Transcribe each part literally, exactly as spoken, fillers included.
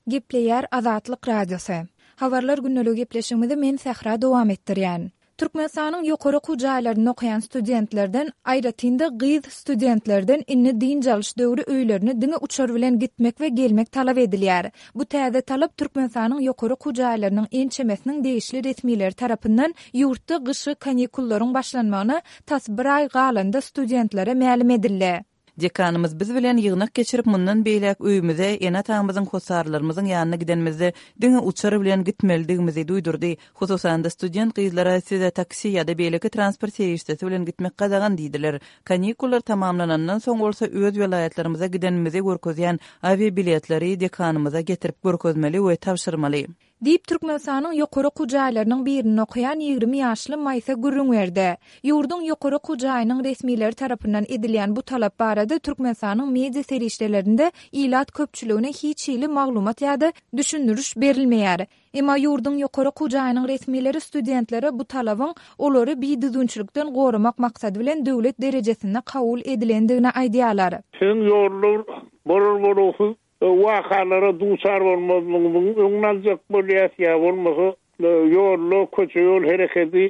Gepleýär Azatlyk Radiosy. Habarlar gündeligi gepleşigimizi men Sähra dowam etdirýän. Türkmenistanyň ýokary okuw jaýlarynda okaýan studentlerden, aýratyn-da gyz studentlerden indi dynç alyş döwri öýlerine diňe uçar bilen gitmek we gelmek talap edilýär. Bu täze talap Türkmenistanyň ýokary okuw jaýlarynyň ençemesiniň degişli resmileri tarapyndan ýurtda gyşky kanikullaryň başlanmagyna tas bir aý galanda studentlere mälim edildi. Dekanymyz biz bilen ýygnak geçirip, mundan beýläk öýümize, ene-atamyzyň, hossarlarymyzyň ýanyna gidenimizde diňe uçar bilen gitmelidigimizi duýdurdy. Hususan-da student gyzlara size taksi ýa-da beýleki transport serişdesi bilen gitmek gadagan diýdiler. Kanikullar tamamlanandan soň bolsa öz welaýatlarymyza gidenimizi görkezýän awiabiletleri dekanymyza getirip görkezmeli we tabşyrmaly. Diýip, Türkmenistanyň ýokary okuw jaýlarynyň birinde okaýan ýigrimi ýaşly Maýsa gürrüň berdi. Ýurduň ýokary okuw jaýynyň resmileri tarapyndan edilýän bu talap barada Türkmenistanyň media serişdelerinde ilat köpçüligine hiç hili maglumat ýa-da düşündiriş berilmeýär. Emma ýurduň ýokary okuw jaýynyň resmileri studentlere bu talabyň olary bidüzgünçilikden goramak maksady bilen döwlet derejesinde kabul edilendigini aýdýarlar. Siziň ýollar bolar-bolgusyz wakalara duçar bolmazlygynyň öňüni aljak bolýar, ýa bolmasa ýolda köçe ýol hereketi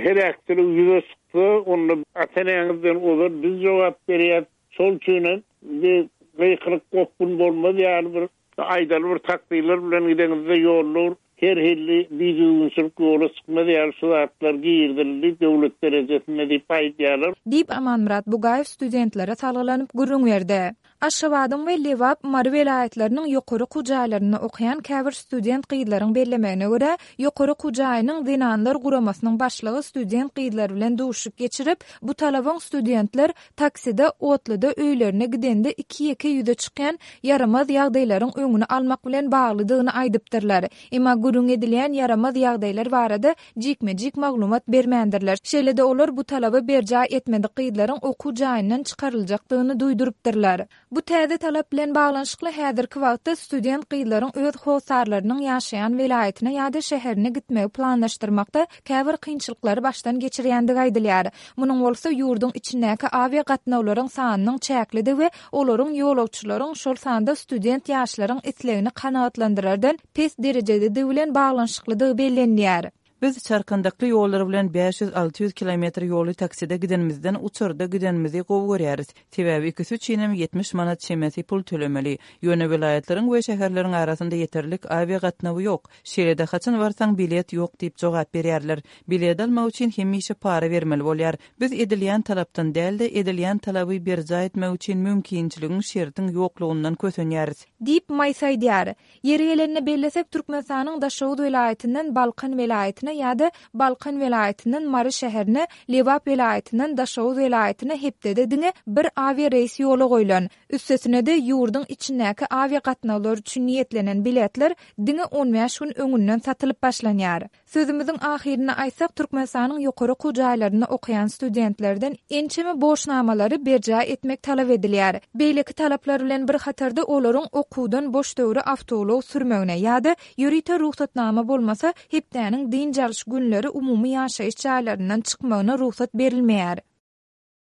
heläkçilik ýüze çyksa, onda ata-eneňizden ozal biz jogap berýäris. Şol üçin hem bir gykylyk gopgun bolmaz ýaly bir aýdaly bir takdirler bilen gideňizde ýollar her hili bidüzgünçilik ýola çykmaz ýaly şu zatlar girizildi döwlet derejesinde diýip aýdýarlar. Diýip, Amanmyrat Bugaýew studentlere salgylanyp gürrüň berdi. Aşgabadyň we Lebap, Mary welaýatlarynyň ýokary okuw jaýlarynda okaýan käbir student gyzlaryň bellemegine görä, ýokary okuw jaýynyň zenanlar guramasynyň başlygy student gyzlar bilen duşuşyk geçirip, bu talabyň studentler takside, otluda öýlerine gidende iki-ýeke ýüze çykýan ýaramaz ýagdaýlaryň öňüni almak bilen baglydygyny aýdypdyrlar. Emma gürrüň edilýän ýaramaz ýagdaýlar barada jikme-jik maglumat bermändirler. Şeýle-de olar bu talaby berjaý etmedik gyzlaryň okuw jaýyndan çykaryljakdygyny duýdurypdyrlar. Bu täze talap bilen baglanyşykly häzirki wagtda student gyzlaryň öz hossarlarynyň ýaşaýan welaýatyna ýa-da şäherine gitmegi planlaşdyrmakda käbir kynçylyklary başdan geçirýändigi aýdylýar. Munuň bolsa ýurduň içindäki awia gatnawlaryň sanynyň çäklidigi we olaryň ýolagçylaryň, şol sanda student ýaşlaryň islegini kanagatlandyrardan pes derejededigi bilen baglanyşyklydygy bellenilýär. Biz çarkandakly ýollar bilen bäş ýüz alty ýüz kilometr ýoly takside gidenimizden uçarda gidenimizi gowy görýäris. Sebäbi ikisi üçinem ýetmiş manat çemesi pul tölemeli. Ýöne welaýatlaryň we şäherleriň arasynda ýeterlik awia gatnawy ýok. Şeýle-de haçan barsaň bilet ýok diýip jogap berýärler. Bilet almak üçin hemişe para bermeli bolýar. Biz edilýän talapdan däl-de, edilýän talaby berjaý etmek üçin mümkinçiligiň, şertiň ýoklugyndan kösenýäris. Diýip, Maýsa aýdýar. Ýeri gelende bellesek, Türkmenistanyň Daşoguz welaýatyndan Balkan welaýatyna ýa-da Balkan welaýatyndan Mary şäherine, Lebap welaýatyndan Daşoguz welaýatyna hepdede diňe bir awiareýs ýola goýlan. Üstesine-de, ýurduň içindäki awiagatnawlar üçin niýetlenen biletler diňe on bäş gün öňünden satylyp başlanýar. Sözümiziň ahyrynda aýtsak, Türkmenistanyň ýokary okuw jaýlarynda okaýan studentlerden ençeme borçnamalary berjaý etmek talap edilýär. Beýleki talaplar bilen bir hatarda olaryň okuwdan boş döwri awtoulag sürmegine ýa-da ýörite rugsatnama bolmasa, hepdäniň dynç alyş günleri umumy ýaşaýyş jaýlaryndan çykmagyna rugsat berilmeýär.